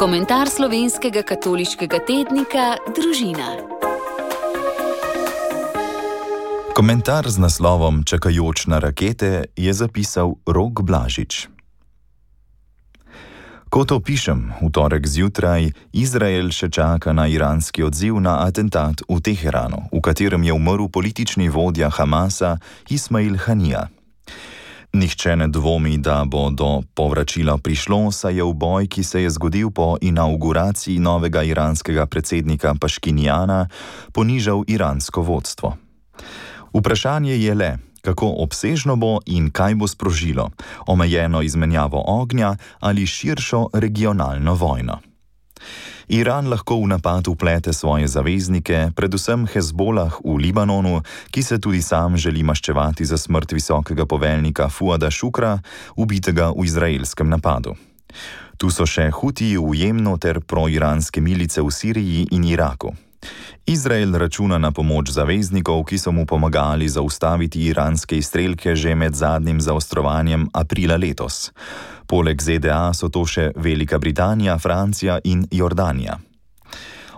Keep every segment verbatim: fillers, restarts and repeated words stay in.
Komentar slovenskega katoliškega tednika Družina. Komentar z naslovom Čakajoč na rakete je zapisal Rok Blažič. Ko to pišem, v torek zjutraj, Izrael še čaka na iranski odziv na atentat v Teheranu, v katerem je umrl politični vodja Hamasa Ismail Hanija. Nihče ne dvomi, da bo do povračila prišlo, saj je v boj, ki se je zgodil po inauguraciji novega iranskega predsednika Paškinjana, ponižal iransko vodstvo. Vprašanje je le, kako obsežno bo in kaj bo sprožilo, omejeno izmenjavo ognja ali širšo regionalno vojno. Iran lahko v napad vplete svoje zaveznike, predvsem Hezbolah v Libanonu, ki se tudi sam želi maščevati za smrt visokega poveljnika Fuada Šukra, ubitega v izraelskem napadu. Tu so še Hutiji v Jemnu ter proiranske milice v Siriji in Iraku. Izrael računa na pomoč zaveznikov, ki so mu pomagali zaustaviti iranske izstrelke že med zadnjim zaostrovanjem aprila letos. Poleg Z D A so to še Velika Britanija, Francija in Jordanija.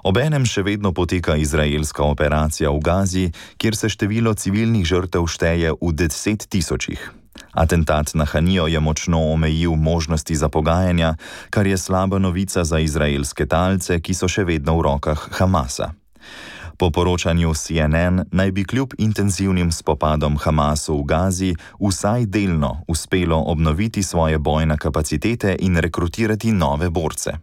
Obenem še vedno poteka izraelska operacija v Gazi, kjer se število civilnih žrtev šteje v deset tisočih. Atentat na Hanijo je močno omejil možnosti za pogajanja, kar je slaba novica za izraelske talce, ki so še vedno v rokah Hamasa. Po poročanju C N N naj bi kljub intenzivnim spopadom Hamasu v Gazi vsaj delno uspelo obnoviti svoje bojne kapacitete in rekrutirati nove borce.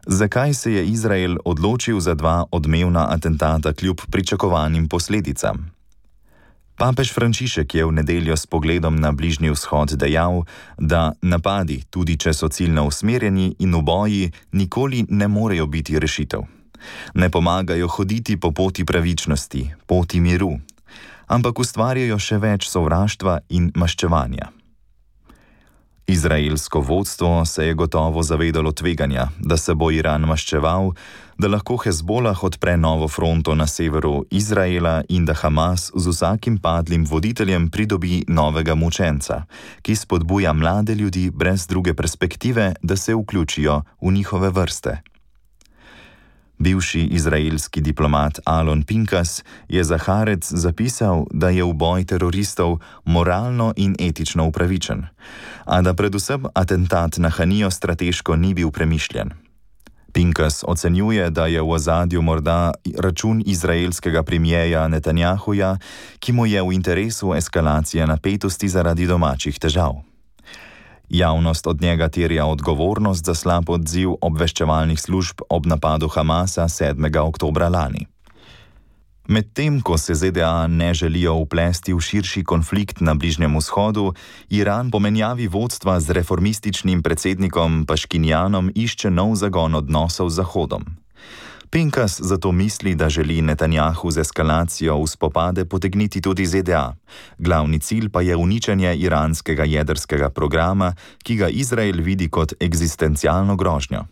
Zakaj se je Izrael odločil za dva odmevna atentata kljub pričakovanim posledicam? Papež Frančišek je v nedeljo s pogledom na Bližnji vzhod dejal, da napadi, tudi če so ciljno usmerjeni in v boji, nikoli ne morejo biti rešitev. Ne pomagajo hoditi po poti pravičnosti, poti miru, ampak ustvarjajo še več sovraštva in maščevanja. Izraelsko vodstvo se je gotovo zavedalo tveganja, da se bo Iran maščeval, da lahko Hezbolah odpre novo fronto na severu Izraela in da Hamas z vsakim padlim voditeljem pridobi novega mučenca, ki spodbuja mlade ljudi brez druge perspektive, da se vključijo v njihove vrste. Bivši izraelski diplomat Alon Pinkas je za Haaretz zapisal, da je uboj teroristov moralno in etično upravičen, a da predvsem atentat na Hanijo strateško ni bil premišljen. Pinkas ocenjuje, da je v ozadju morda račun izraelskega premierja Netanjahuja, ki mu je v interesu eskalacija napetosti zaradi domačih težav. Javnost od njega terja odgovornost za slab odziv obveščevalnih služb ob napadu Hamasa sedmega oktobra lani. Medtem, ko se Z D A ne želijo vplesti v širši konflikt na Bližnjem vzhodu, Iran po menjavi vodstva z reformističnim predsednikom Paškinjanom išče nov zagon odnosov z Zahodom. Pinkas zato misli, da želi Netanjahu z eskalacijo v spopade potegniti tudi Z D A. Glavni cilj pa je uničenje iranskega jedrskega programa, ki ga Izrael vidi kot eksistencialno grožnjo.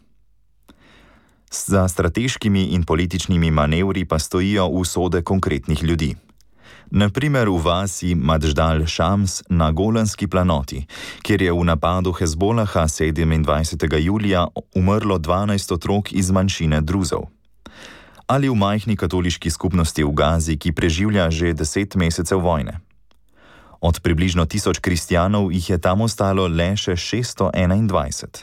Za strateškimi in političnimi manevri pa stojijo usode konkretnih ljudi. Na primer v vasi Madždal Šams na Golanski planoti, kjer je v napadu Hezbolaha sedemindvajsetega julija umrlo dvanajst otrok iz manjšine Druzov. Ali v majhni katoliški skupnosti v Gazi, ki preživlja že deset mesecev vojne. Od približno tisoč kristjanov jih je tam ostalo le še šeststo enaindvajset.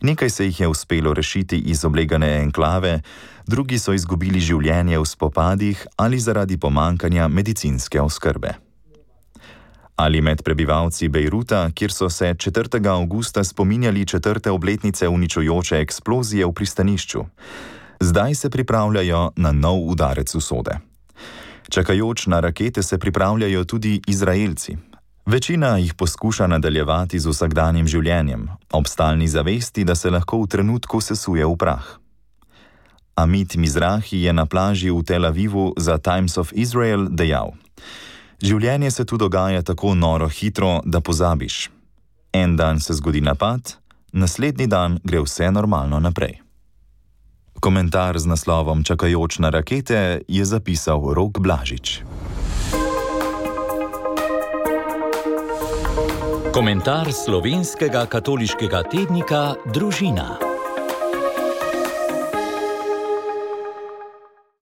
Nekaj se jih je uspelo rešiti iz oblegane enklave, drugi so izgubili življenje v spopadih ali zaradi pomankanja medicinske oskrbe. Ali med prebivalci Bejruta, kjer so se četrtega avgusta spominjali četrte obletnice uničujoče eksplozije v pristanišču. Zdaj se pripravljajo na nov udarec usode. Čakajoč na rakete se pripravljajo tudi Izraelci. Večina jih poskuša nadaljevati z vsakdanjim življenjem, ob stalni zavesti, da se lahko v trenutku sesuje v prah. Amit Mizrahi je na plaži v Tel Avivu za Times of Israel dejal: Življenje se tu dogaja tako noro hitro, da pozabiš. En dan se zgodi napad, naslednji dan gre vse normalno naprej. Komentar z naslovom Čakajoč na rakete je zapisal Rok Blažič. Komentar slovenskega katoliškega tednika Družina.